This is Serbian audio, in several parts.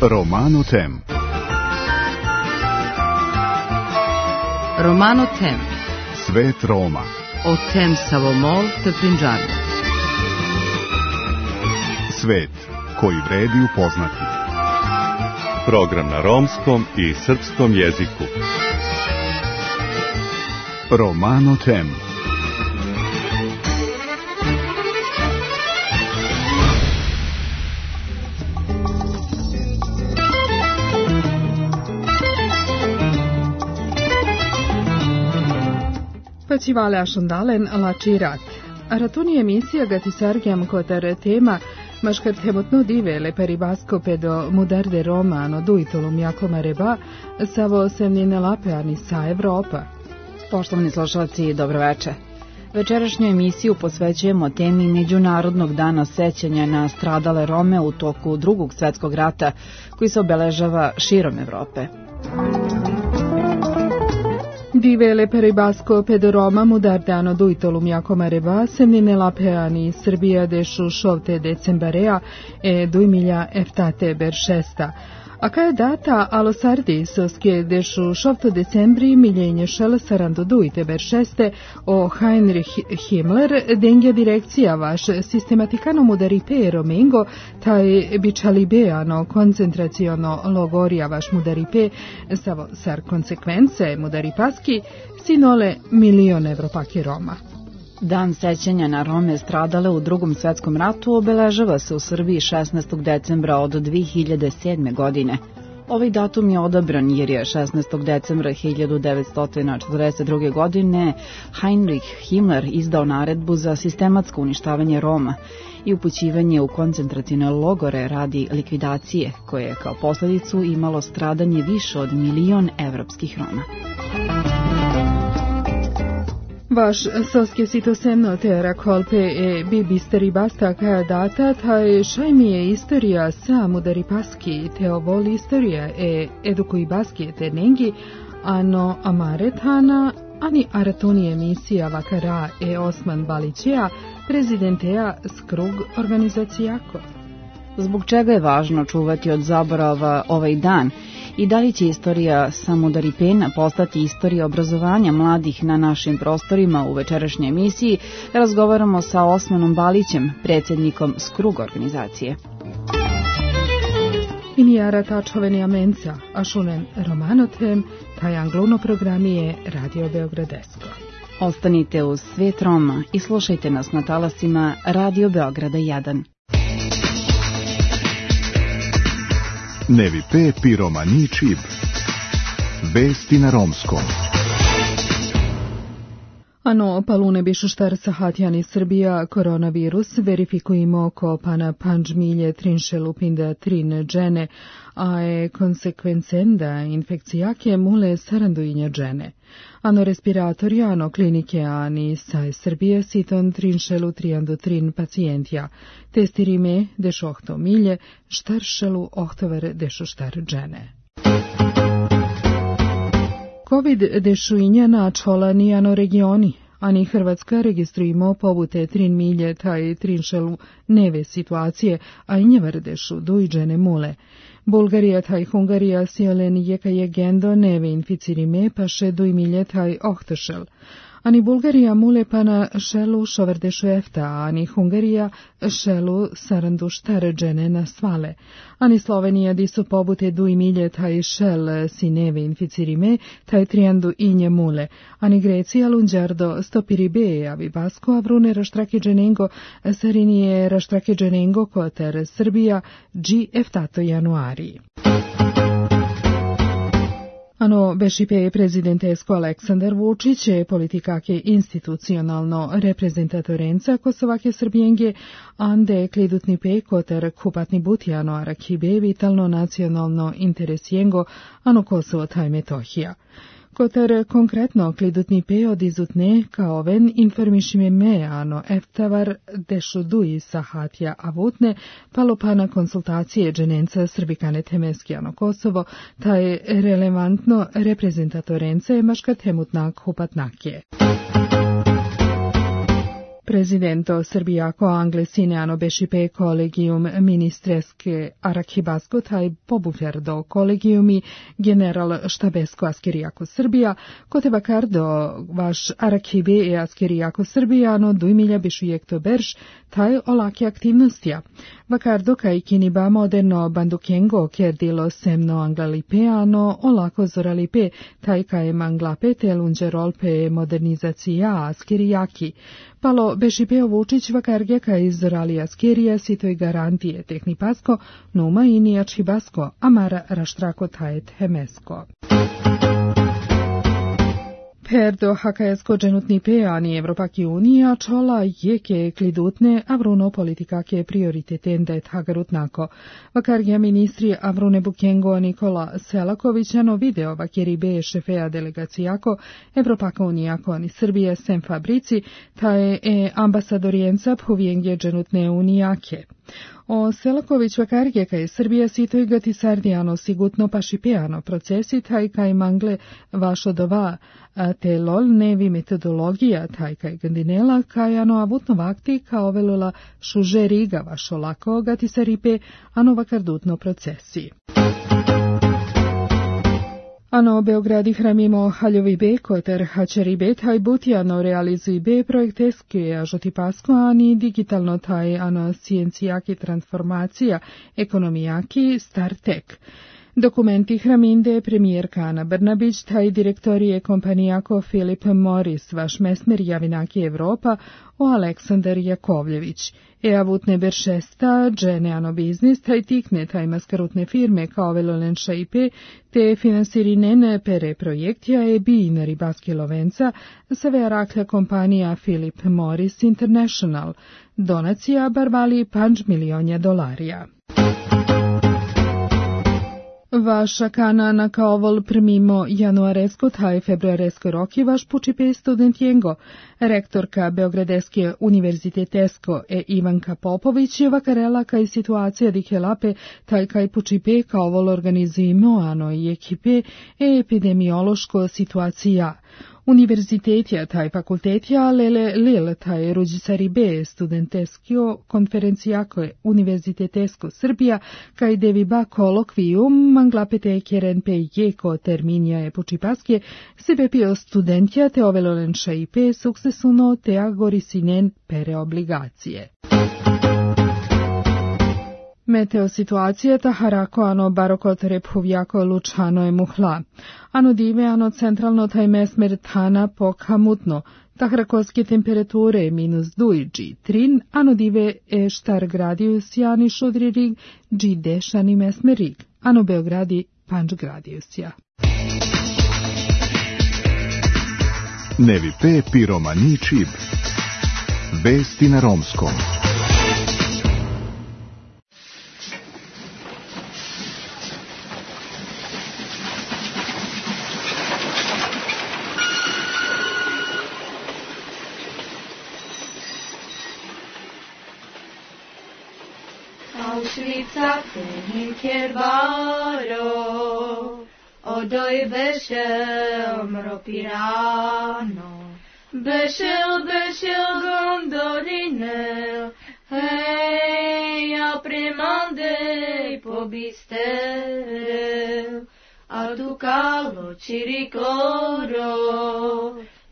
Romano Tem. Romano Tem. Svet Roma. O Tem Savomol te Prinđani. Svet koji vredi upoznati. Program na romskom i srpskom jeziku. Romano Tem. Facivale ascendalen la cirat. Aratoni emisija gatisargiam coter tema mascartemotno divele per ibasco pedo mudarde romano duitolum Jakoma Reba savo semnine lapeani sa Evropa. Poštovani slušalci, dobroveče. Večerašnju emisiju posvećujemo temi Međunarodnog dana sećanja na stradale Rome u toku Drugog svjetskog rata koji se obeležava širom Evrope. Divele per ibasco pedo Roma mudardano duitolum Jakoma Reba semnine lapeani Srbija dešu šovte decembarea e 2007 beršesta. A ca data alo Sardisovske dešu šovto decembri miljenje šel sarando duite beršeste o Heinrich Himmler dengja direkcija vaš sistematikano mudaripe romengo taj bičalibeano koncentraciono logorija vaš mudaripe savo sar konsekvence mudaripaski sinole milion Evropake Roma. Dan sećanja na Rome stradale u Drugom svjetskom ratu obeležava se u Srbiji 16. decembra od 2007. godine. Ovaj datum je odabran jer je 16. decembra 1942. godine Heinrich Himmler izdao naredbu za sistematsko uništavanje Roma i upućivanje u koncentracione logore radi likvidacije, koje je kao posljedicu imalo stradanje više od 1 milion evropskih Roma. Vaš soske sitosemno te rakolpe e bibisteri basta kaja data, taj šajmi je istorija sa mudaripaski te ovoli istorija e edukuj baski te nengi, ano amaretana, ani aratoni emisija vakara e Osman Balićija, prezidenteja Skrug organizacijako. Zbog čega je važno čuvati od zaborava ovaj dan i da li će istorija samodaripena postati istorija obrazovanja mladih na našim prostorima? U večerašnjoj emisiji razgovaramo sa Osmanom Balićem, predsjednikom Skrug organizacije. Inijara tačoveni amenca, a šunen Romanotem, taj angluno programije Radio Beogradesko. Ostanite uz Svet Roma i slušajte nas na talasima Radio Beograda 1. Nevi pe piromani čib. Vesti na romskom. Ano palune bišu štar sahatjani Srbija koronavirus verifikujemo oko pana panđmilje trinše lupinda trin džene, a je konsekvencenda infekcijake mule saranduinja džene. Ano respiratori, ano klinike, ani sa Srbije siton trinšelu triandu trin pacijentja, testirime dešo ohto milje, štaršelu ohtover dešo štar džene. COVID dešuinja na čolani ano regioni, ani Hrvatska registrujemo pobute 3 milje taj trinšelu neve situacije, a i njevar dešu dujđene mule. Bulgarija taj Hungarija sjelen jeka je gendo neve inficirime pa še 2 milje taj ohtošel. Ani Bulgarija mule pana šelu šoverdešu efta, ani Hungarija šelu sarandu štaređene na svale. Ani Slovenija di su pobute 2 milje taj šel si neve inficirime, taj triandu inje mule. Ani Grecija lunđardo stopiribe, avi Basko avrune raštrakeđenengo, sarinije raštrakeđenengo koter Srbija, G eftato januari. Ano bešipe prezidentesko Aleksandar Vučić je politikake institucionalno reprezentatorenca Kosovake Srbijenge, ande klidutni pe koter kupatni butijano arakibe vitalno nacionalno interesjengo ano Kosovo taj Metohija. Koter konkretno klidutni pe odizutne kaoven informišime me ano eftavar dešudui sahatja avutne palopana konsultacije dženenca srbikane temeskijano Kosovo, taj relevantno reprezentatorence maška temutnak hupatnakje. Prezidento Srbijako Anglesineano Bešipe kolegium ministreske Arakibasko taj pobufjardo kolegiumi general štabesko Askerijako Srbija, kote vakardo vaš Arakibe e Askerijako Srbijano dujmilja bišujekto berš taj olake aktivnostija. Vakardo kaj kiniba moderno bandukengo kerdilo semno anglalipeano olako zoralipe taj kaj manglape telunđerolpe modernizacija Askerijaki. Palo Bešipeo Vučić vakarge kaj izorali Askerija sitoj garantije tehnipasko, numa i nijačibasko, amara raštrako tajet hemesko. Perdo hakajasko dženutni peani Evropaki unija čola jeke klidutne avruno politikake prioriteten hagarutnako. Vakargija ministri Avrune Bukengo Nikola Selakovićano video vakeribe šefeja delegacijako Evropaka unijako ani Srbije sem fabrici, taje ambasadorijenca povijengje dženutne unijake. O Selaković vakarge kaj Srbija sitoj gati sardijano sigutno pašipeano procesi taj kaj mangle vašo dova te lol nevi metodologija taj kaj gandinela kaj ano avutno vakti kao velula šuže riga vašo lako gati saripe ano vakardutno procesi. Ano Beogradi hramimo haljovi be koter hačeri be taj butijano realizuj be projekteske ažotipasko ani digitalno taj ano sciencijaki transformacija ekonomijaki startek. Dokumenti hraminde premijerka Ana Brnabić, taj direktorije kompanijako Filip Morris, vaš mesmer javinaki Evropa, o Aleksandar Jakovljević. Avutne beršesta, džene ano biznis, taj tikne taj maskarutne firme kao velolenša IP, te finansirinen pere projektja bi na ribaski lovenca, sve rakla kompanija Philip Morris International. Donacija barvali $5 milionja. Vaša kanana kao vol primimo januaresko taj februaresko roki vaš pučipe studentijengo. Rektorka Beogradeske univerzitetesko Ivanka Popović je vakarela kaj situacija dikelape taj kaj pučipe kao vol organizujemo ano i ekipe epidemiološko situacija. Univerzitetja taj fakultetja lele taj ruđicari B studenteskio konferencijako univerzitetesko Srbija kaj deviba kolokvijum manglapete keren pe jeko terminja je pučipaske sebe pio studentja te ovelolenša IP suksesuno te agorisinen pere obligacije. Meteo situacije taharako ano barokot repuvjako lučano je muhla. Ano dive ano centralno taj mesmer tana pokamutno. Tahrakoske temperature -2 G3, ano dive štar gradius jani šudririg G dešani mesmerig. Ano Beogradi 5 gradiusja. Nevi pe piromani čib. Vesti na romskom. Auschwitz Kerbaro, odoj bešel mropirano, bešel gondoline, hej, a premandej pobistel, a tu kalo čirikloro,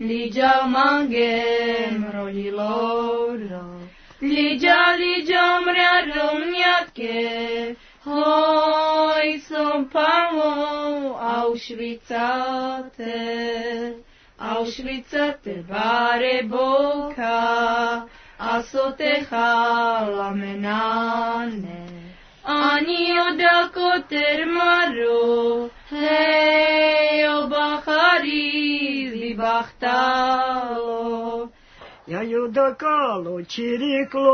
liđa mangem roliloro. Liđa mrea romnjake, hoj som pamo Auschwitzate bare boka, a so te hala menane. Ani odako termaro, hej obahari zibahtalo. Ja judakalo čirikloro,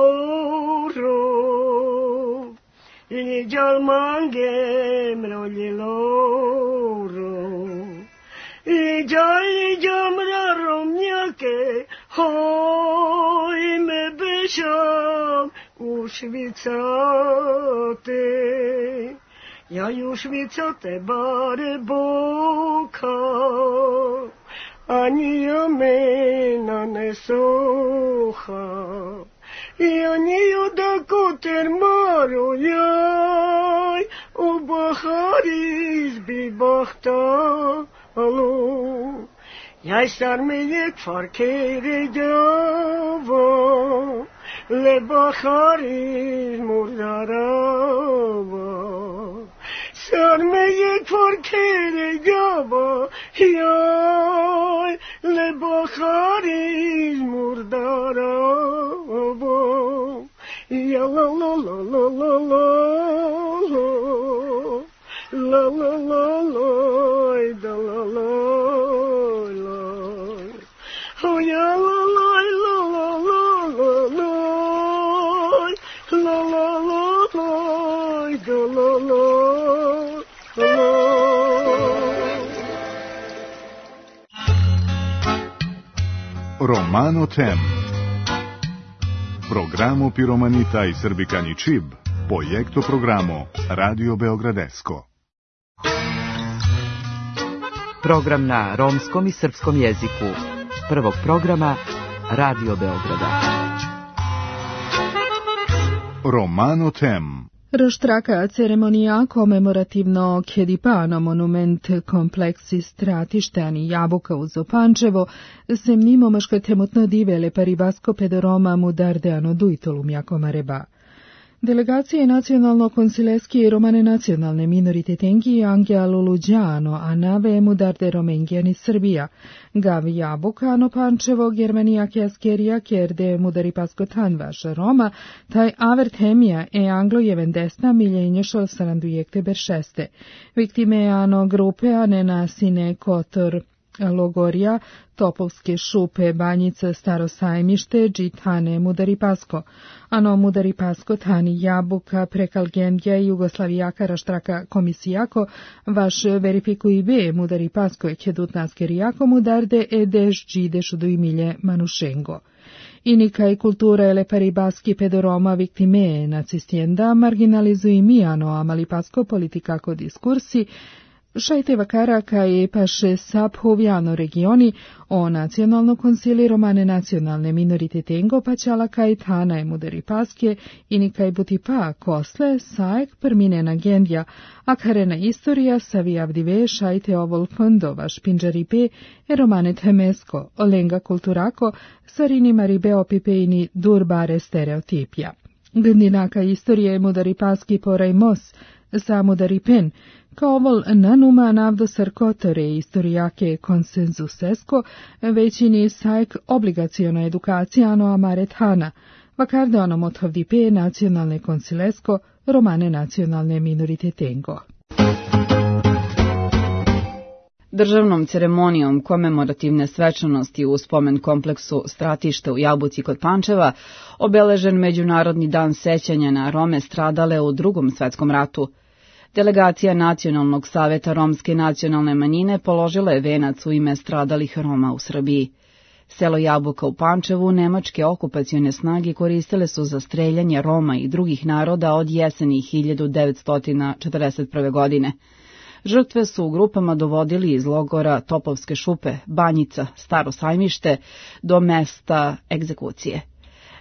liđal mangem roljiloro, Idam romnjake, hoj me bešam u švicate. Ja ju švicate bare boka, ani ja mena ne soha. Ja niju da koter maru jaj, u bahari izbi bahta alu. Jaj sar me jek farkere java, le bahari murdarava. Sar me jek farkere java, jaj, le bahari murdarava. Ja la la la la la la la la la la da la la la. Oh ja la la la la la la la la la la da la la la. Romano Tem. Programo Piromanita i Srbikani Čib, projekto programo Radio Beogradesko. Program na romskom i srpskom jeziku. Prvog programa Radio Beograda. Romano Tem. Raštraka ceremonija komemorativno Kedipano monument kompleksi stratišteni Jabuka uz Pančevo se mimo maška temutno divele paribasko pedoroma mudardeano duitolum jako mareba. Delegacije nacionalno-konsileski romane nacionalne minoritetenki Angea Luluđano, a nave mudarde Romengijani Srbija, Gavi Jabukano Pančevo, Germanija Kjaskerija, Kjerde Mudaripasko Tanvaš Roma, taj avert hemija e anglo-jeven desna miljenješal sarandujekte beršeste. Viktimeano grupe anena sine kotor Logorija, Topovske šupe, Banjice, Staro sajmište, Džitane, Mudaripasko, ano Mudaripasko, Tani, Jabuka, Prekalgendja, Jugoslavijaka, Raštraka, Komisijako, vaš verifikuj be, Mudaripasko, Kedutnaskerijako, Mudarde, Edeš, Džideš, Dujmilje, Manušengo. Inika i kultura ele paribaski pedoroma viktime nacistienda, marginalizuj mijano, amalipasko politikako diskursi, Šajte vakaraka i paše saphovjano regioni o nacionalno konsili romane nacionalne minoritetengo paćala kaj tana je mudaripaske i nikaj butipa kosle sajek perminena gendja, a karena istorija savijavdive šajte ovol fondova špinđaripe e romane temesko, olenga kulturako, sarini maribe opipejni durbare stereotipja. Gndinaka istorije mudaripaski poraj mos, sa mudaripen, kao vol nanuma navdo sarkotore istorijake konsenzusesko, većini sajk obligaciona edukacijano amarethana, vakarde onom othovdipe nacionalne konsilesko, romane nacionalne minoritetengo. Državnom ceremonijom komemorativne svečanosti u spomen kompleksu Stratište u Jabuci kod Pančeva obeležen Međunarodni dan sećanja na Rome stradale u Drugom svetskom ratu. Delegacija Nacionalnog saveta romske nacionalne manjine položila je venac u ime stradalih Roma u Srbiji. Selo Jabuka u Pančevu nemačke okupacione snage koristile su za streljanje Roma i drugih naroda od jeseni 1941. godine. Žrtve su u grupama dovodili iz logora Topovske šupe, Banjica, Staro sajmište do mesta egzekucije.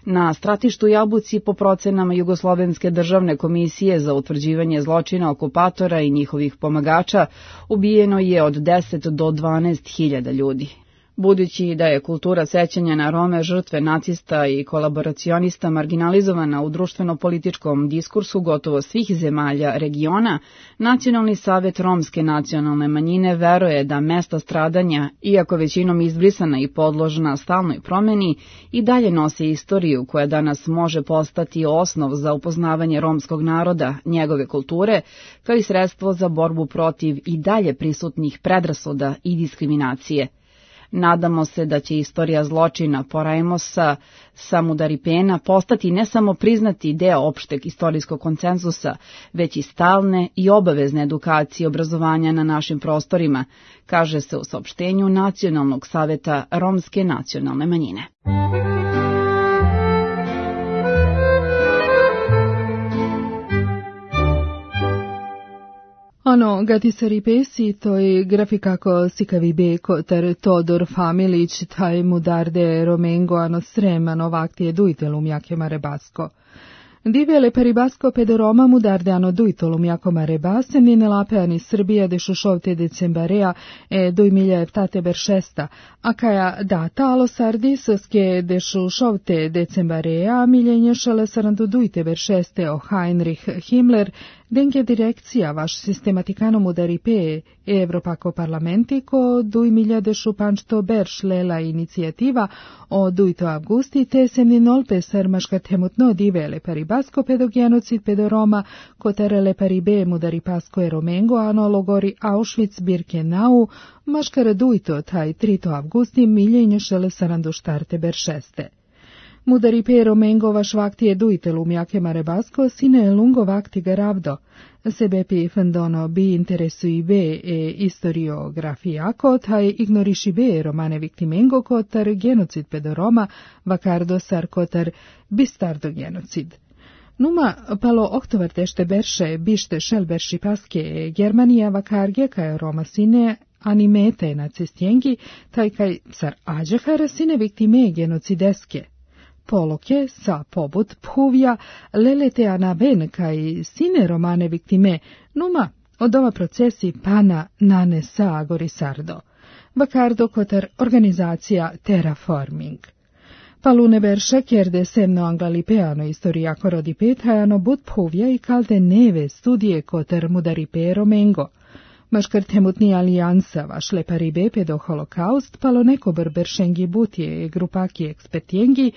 Na stratištu Jabuci, po procenama Jugoslovenske državne komisije za utvrđivanje zločina okupatora i njihovih pomagača, ubijeno je od 10 do 12.000 ljudi. Budući da je kultura sećanja na Rome žrtve nacista i kolaboracionista marginalizovana u društveno-političkom diskursu gotovo svih zemalja regiona, Nacionalni savet romske nacionalne manjine veruje da mesta stradanja, iako većinom izbrisana i podložna stalnoj promeni, i dalje nose istoriju koja danas može postati osnov za upoznavanje romskog naroda, njegove kulture, kao i sredstvo za borbu protiv i dalje prisutnih predrasuda i diskriminacije. Nadamo se da će istorija zločina Porajmosa Samudaripena postati ne samo priznati deo opšteg istorijskog konsenzusa, već i stalne i obavezne edukacije i obrazovanja na našim prostorima, kaže se u saopštenju Nacionalnog saveta romske nacionalne manjine. Ano, gati se ripesi, toj grafikako sikavi beko ter Todor Familić, taj mudarde Romengo ano sremano vaktije dujtelum jake marebasko. Divele peribasko pedoroma mudarde ano dujtolum jako marebase, nine lapeani Srbija de šušovte decembarea e dujmilja eftate beršesta, a kaja data alo sardisoske de šušovte decembarea miljenje šele sarandu dujte beršeste o Heinrich Himmler, denke direkcija vaš sistematikano mudaripe Evropako parlamenti ko 2025 berš lela inicijativa o dujto avgusti te semninolpe sarmaška temutno divele paribasko pedogenocid pedoroma koterele paribe mudaripasko e romengo ano logori Auschwitz Birkenau maškara dujto taj 3 avgusti miljenje šele sarandu štarte beršeste. Mudaripe romengo vaš vakti je dujtelum jake marebasko sine lungo vakti garavdo. Sebepi fendono bi interesui be e historiografijako, taj ignoriši be romane viktimengo kotar genocid pedoroma, vakardo sar kotar bistardo genocid. Numa palo oktovartešte berše bište šelberši paske Germanija vakarge kaj Roma sine animete nacistjengi, taj kaj sar ađehara sine viktime genocideske. Poloke sa pobut phuvja lelete anaben kaj sine romane viktime, numa od ova procesi pana nane sa agorisardo. Vakardo kotar organizacija terraforming. Palune berše kjerde semno anglalipeano istorijako rodipethajano but phuvja i kalte neve studije kotar mudaripe romengo. Maškar temutni alijansa vašle paribe pedo holokaust palo neko beršengi butije grupaki ekspertjengi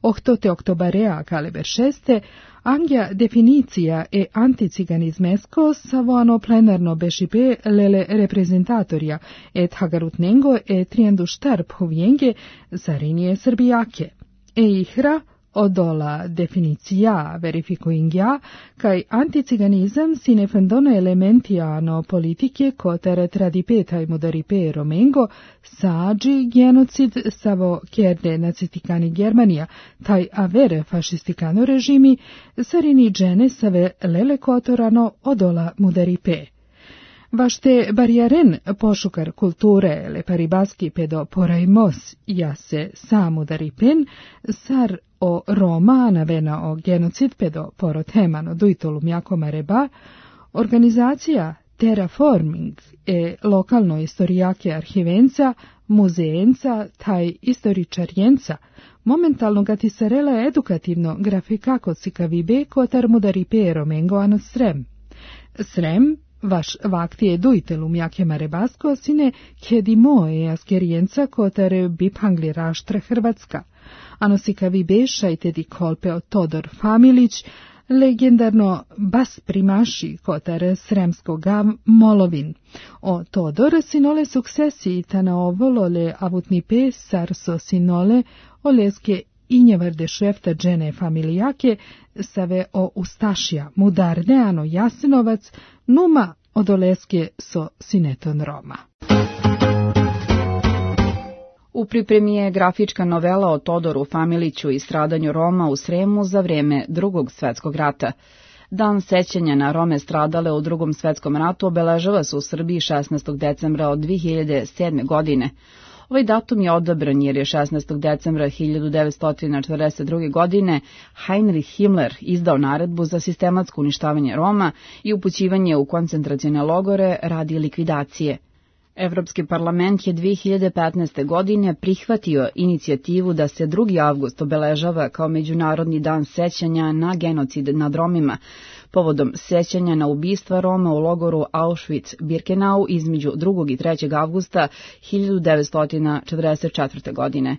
ohtote oktobarea kaleber šeste, angja definicija e anticiganizmesko savoano plenarno bešipe lele reprezentatorja et hagarutnengo e triendu štarp huvjenge zarinije srbijake. E ihra odola definicija verifikuingja, kaj anticiganizam sine fendono elementiano politike kotere tradipetaj mudaripe romengo, sađi genocid savo kjerde nacistikani Germanija, taj avere fašistikano režimi, sarini džene save lele kotorano odola mudaripe. Vašte barijaren pošukar kulture le paribaski pedo porajmos jase samudaripen, sar o Roma navena o genocid pedo porotemano dujtolum jako mareba, organizacija terraforming e lokalno istorijake arhivenca, muzeenca, taj istoričarjenca, momentalno gatisarela edukativno grafikako cikavibe kotar mudaripe romengo ano srem. Srem, vaš vakti je dujtelum jake marebasko, sine kedimo e askerijenca kotar bipangli raštra Hrvatska. Ano sikavi beša i tedi kolpe o Todor Familić, legendarno bas primaši kotar sremskoga Molovin. O Todor sinole suksesi tana ovolole avutni pe sarso sinole oleske injevarde šefta džene familijake save o Ustašija, Mudardeano Jasenovac, numa odoleske so sineton Roma. U pripremi je grafička novela o Todoru Familiću i stradanju Roma u Sremu za vrijeme Drugog svjetskog rata. Dan sećanja na Rome stradale u Drugom svjetskom ratu obeležava se u Srbiji 16. decembra od 2007. godine. Ovaj datum je odabran jer je 16. decembra 1942. godine Heinrich Himmler izdao naredbu za sistematsko uništavanje Roma i upućivanje u koncentracione logore radi likvidacije. Evropski parlament je 2015. godine prihvatio inicijativu da se 2. avgust obeležava kao Međunarodni dan sećanja na genocid nad Romima, povodom sećanja na ubistva Roma u logoru Auschwitz-Birkenau između 2. i 3. avgusta 1944. godine.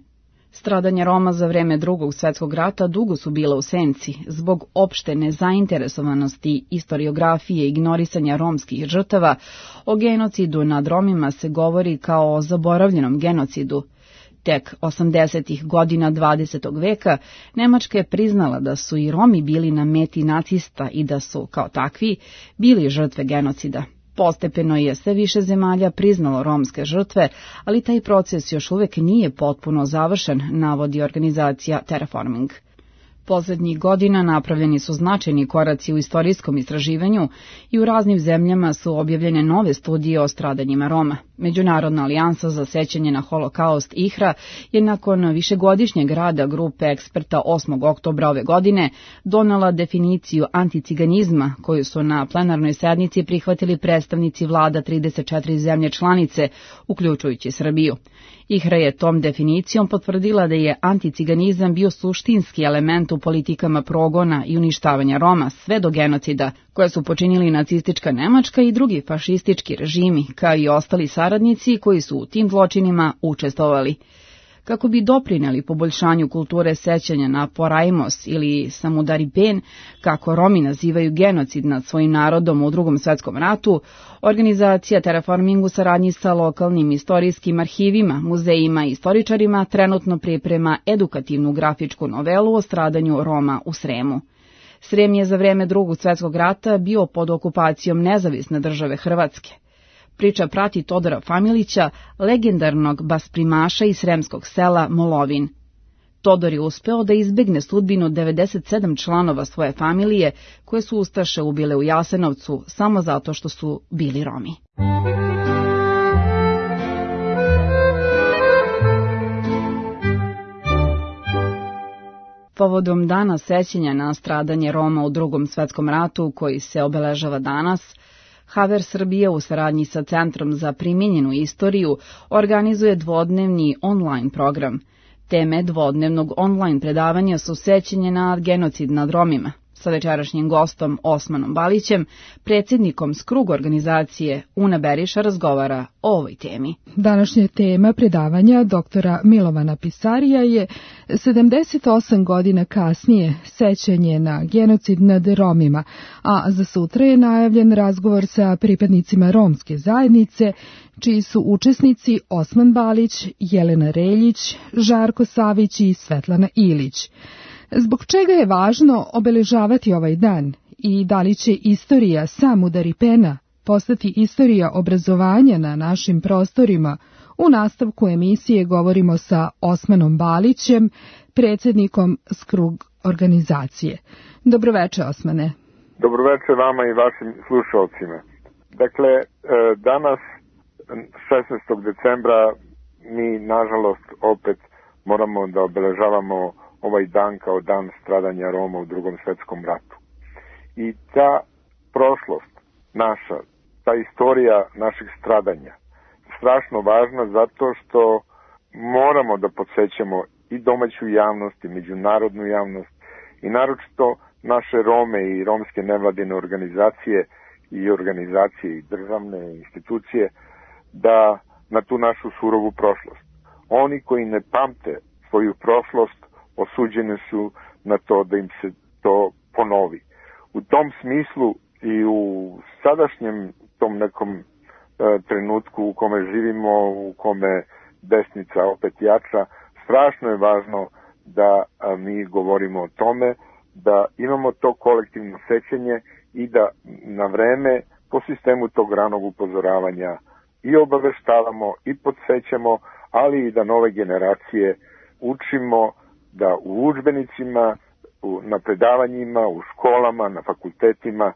Stradanja Roma za vreme Drugog svjetskog rata dugo su bila u senci, zbog opšte nezainteresovanosti istoriografije i ignorisanja romskih žrtava. O genocidu nad Romima se govori kao o zaboravljenom genocidu. Tek 80. godina 20. veka Nemačka je priznala da su i Romi bili na meti nacista i da su, kao takvi, bili žrtve genocida. Postepeno je sve više zemalja priznalo romske žrtve, ali taj proces još uvek nije potpuno završen, navodi organizacija Terraforming. Poslednjih godina napravljeni su značajni koraci u istorijskom istraživanju i u raznim zemljama su objavljene nove studije o stradanjima Roma. Međunarodna alijansa za sećanje na holokaust IHRA je nakon višegodišnjeg rada grupe eksperta 8. oktobra ove godine donela definiciju anticiganizma koju su na plenarnoj sednici prihvatili predstavnici vlada 34 zemlje članice, uključujući Srbiju. IHRA je tom definicijom potvrdila da je anticiganizam bio suštinski element u politikama progona i uništavanja Roma sve do genocida, koje su počinili nacistička Nemačka i drugi fašistički režimi, kao i ostali saradnici koji su u tim zločinima učestvovali. Kako bi doprineli poboljšanju kulture sećanja na Porajmos ili Samudaripen, kako Romi nazivaju genocid nad svojim narodom u Drugom svjetskom ratu, organizacija Terraforming u saradnji sa lokalnim istorijskim arhivima, muzejima i istoričarima trenutno priprema edukativnu grafičku novelu o stradanju Roma u Sremu. Srem je za vreme Drugog svjetskog rata bio pod okupacijom nezavisne države Hrvatske. Priča prati Todora Familića, legendarnog basprimaša iz sremskog sela Molovin. Todor je uspeo da izbegne sudbinu 97 članova svoje familije koje su ustaše ubile u Jasenovcu samo zato što su bili Romi. Povodom dana sećanja na stradanje Roma u Drugom svjetskom ratu, koji se obeležava danas, Haver Srbije u saradnji sa Centrom za primijenjenu istoriju organizuje dvodnevni online program. Teme dvodnevnog online predavanja su sećanje na genocid nad Romima. Sa večerašnjim gostom Osmanom Balićem, predsjednikom Skrug organizacije Una Beriša, razgovara o ovoj temi. Današnja tema predavanja doktora Milovana Pisarija je 78 godina kasnije sećanje na genocid nad Romima, a za sutra je najavljen razgovor sa pripadnicima romske zajednice, čiji su učesnici Osman Balić, Jelena Reljić, Žarko Savić i Svetlana Ilić. Zbog čega je važno obeležavati ovaj dan i da li će istorija Samudaripena postati istorija obrazovanja na našim prostorima? U nastavku emisije govorimo sa Osmanom Balićem, predsjednikom Skrug organizacije. Dobroveče, Osmane. Dobroveče vama i vašim slušalcima. Dakle, danas, 16. decembra, mi, nažalost, opet moramo da obeležavamo ovaj dan kao dan stradanja Roma u Drugom svjetskom ratu. I ta prošlost naša, ta istorija naših stradanja, strašno važna zato što moramo da podsjećamo i domaću javnost i međunarodnu javnost i naročito naše Rome i romske nevladine organizacije i organizacije i državne institucije da na tu našu surovu prošlost. Oni koji ne pamte svoju prošlost osuđene su na to da im se to ponovi. U tom smislu i u sadašnjem tom nekom trenutku u kome živimo, u kome desnica opet jača, strašno je važno da mi govorimo o tome, da imamo to kolektivno sećanje i da na vreme po sistemu tog ranog upozoravanja i obaveštavamo i podsjećamo, ali i da nove generacije učimo da u udžbenicima, na predavanjima, u školama, na fakultetima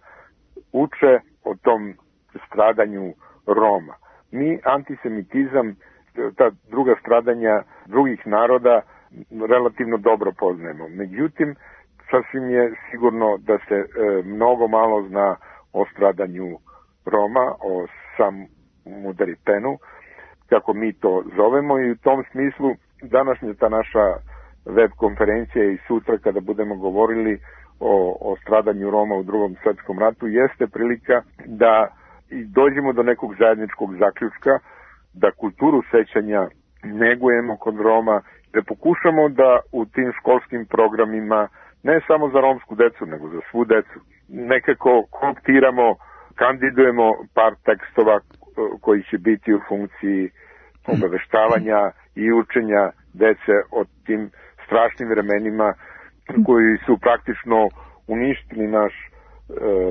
uče o tom stradanju Roma. Mi antisemitizam, ta druga stradanja drugih naroda relativno dobro poznajemo. Međutim, sasvim je sigurno da se mnogo malo zna o stradanju Roma, o Samudaripenu, kako mi to zovemo, i u tom smislu današnja ta naša web konferencija i sutra kada budemo govorili o stradanju Roma u Drugom svjetskom ratu jeste prilika da dođemo do nekog zajedničkog zaključka, da kulturu sećanja negujemo kod Roma, da pokušamo da u tim školskim programima, ne samo za romsku decu, nego za svu decu, nekako kooptiramo, kandidujemo par tekstova koji će biti u funkciji obaveštavanja i učenja dece o tim strašnim vremenima koji su praktično uništili naš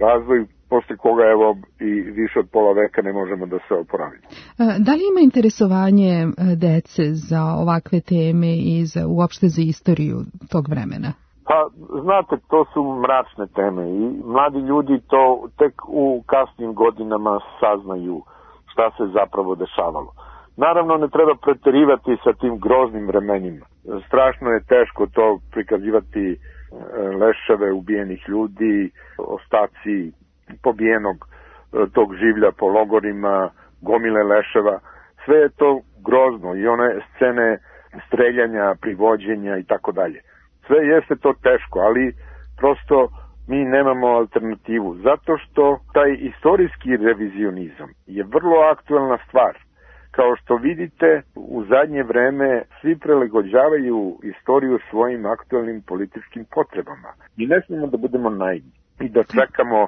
razvoj, posle koga evo i više od pola veka ne možemo da se oporavimo. Da li ima interesovanje dece za ovakve teme i uopšte za istoriju tog vremena? Pa, znate, to su mračne teme i mladi ljudi to tek u kasnim godinama saznaju šta se zapravo dešavalo. Naravno, ne treba preterivati sa tim groznim vremenima. Strašno je teško to prikazivati, leševe ubijenih ljudi, ostaci pobijenog tog življa po logorima, gomile leševa. Sve je to grozno i one scene streljanja, privođenja i tako dalje. Sve jeste to teško, ali prosto mi nemamo alternativu. Zato što taj istorijski revizionizam je vrlo aktuelna stvar. Kao što vidite, u zadnje vreme svi prilagođavaju istoriju svojim aktuelnim političkim potrebama. I ne smijemo da budemo naivni i da čekamo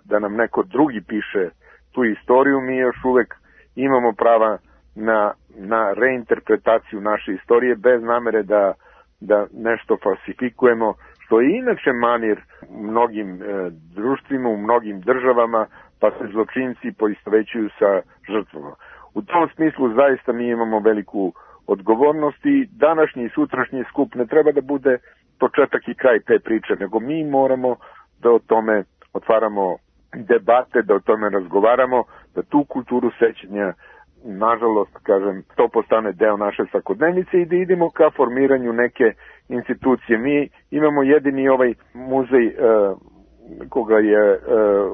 da nam neko drugi piše tu istoriju. Mi još uvek imamo prava na reinterpretaciju naše istorije bez namere da nešto falsifikujemo, što je inače manir u mnogim društvima, u mnogim državama, pa se zločinci poistovećuju sa žrtvama. U tom smislu zaista mi imamo veliku odgovornost i današnji i sutrašnji skup ne treba da bude početak i kraj te priče, nego mi moramo da o tome otvaramo debate, da o tome razgovaramo, da tu kulturu sećanja, nažalost, kažem, to postane deo naše svakodnevnice i da idemo ka formiranju neke institucije. Mi imamo jedini ovaj muzej koga je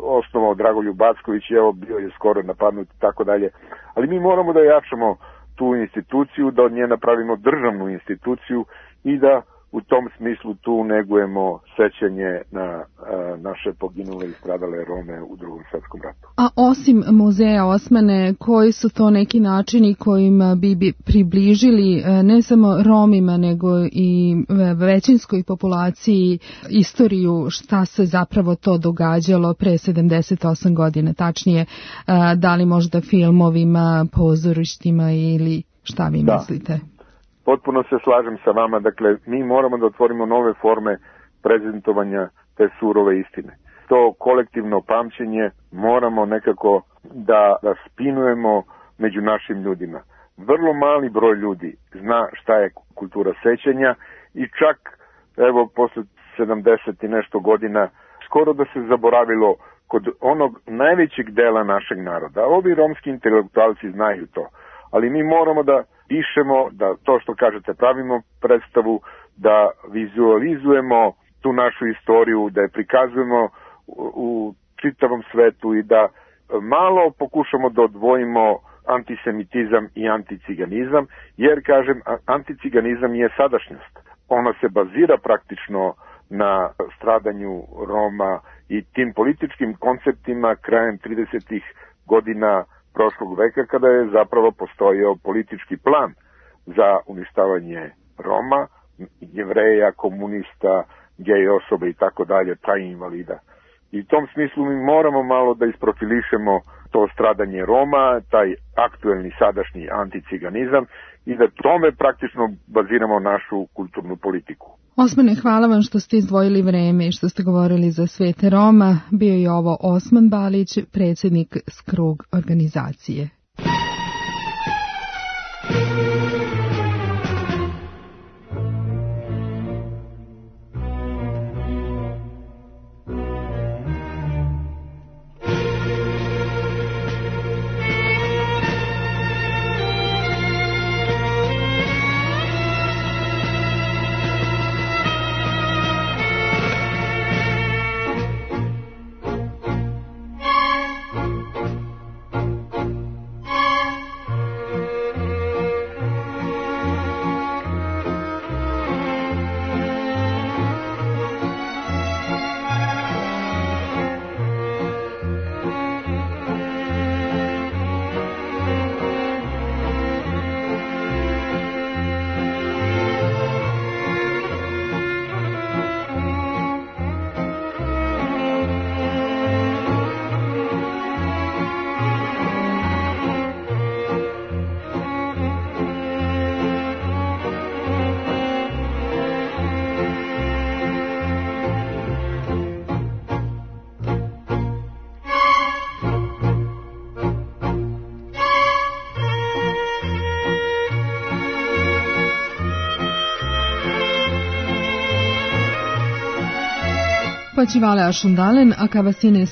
osnovao Dragoljub Backović, evo bio je skoro napadnut i tako dalje, ali mi moramo da jačamo tu instituciju, da od nje napravimo državnu instituciju i da u tom smislu tu negujemo sećanje na naše poginule i stradale Rome u Drugom svetskom ratu. A osim muzeja Osmane, koji su to neki načini kojima bi približili ne samo Romima, nego i većinskoj populaciji istoriju šta se zapravo to događalo pre 78 godina, tačnije da li možda filmovima, pozorištima ili šta vi mislite? Potpuno se slažem sa vama, dakle, mi moramo da otvorimo nove forme prezentovanja te surove istine. To kolektivno pamćenje moramo nekako da spinujemo među našim ljudima. Vrlo mali broj ljudi zna šta je kultura sećanja i čak, evo, posle 70 i nešto godina, skoro da se zaboravilo kod onog najvećeg dela našeg naroda. Ovi romski intelektualci znaju to, ali mi moramo da pišemo, da to što kažete pravimo predstavu, da vizualizujemo tu našu istoriju, da je prikazujemo u čitavom svetu i da malo pokušamo da odvojimo antisemitizam i anticiganizam, jer, kažem, anticiganizam je sadašnjost. Ono se bazira praktično na stradanju Roma i tim političkim konceptima krajem 30. godina prošlog veka, kada je zapravo postojao politički plan za uništavanje Roma, Jevreja, komunista, gej osoba i tako dalje, pa i invalida. I u tom smislu mi moramo malo da isprofilišemo to stradanje Roma, taj aktuelni sadašnji anticiganizam i da tome praktično baziramo našu kulturnu politiku. Osmane, hvala vam što ste izdvojili vreme i što ste govorili za Svete Roma. Bio je ovo Osman Balić, predsjednik Skrug organizacije. Facivale Ashundalen, Akavasines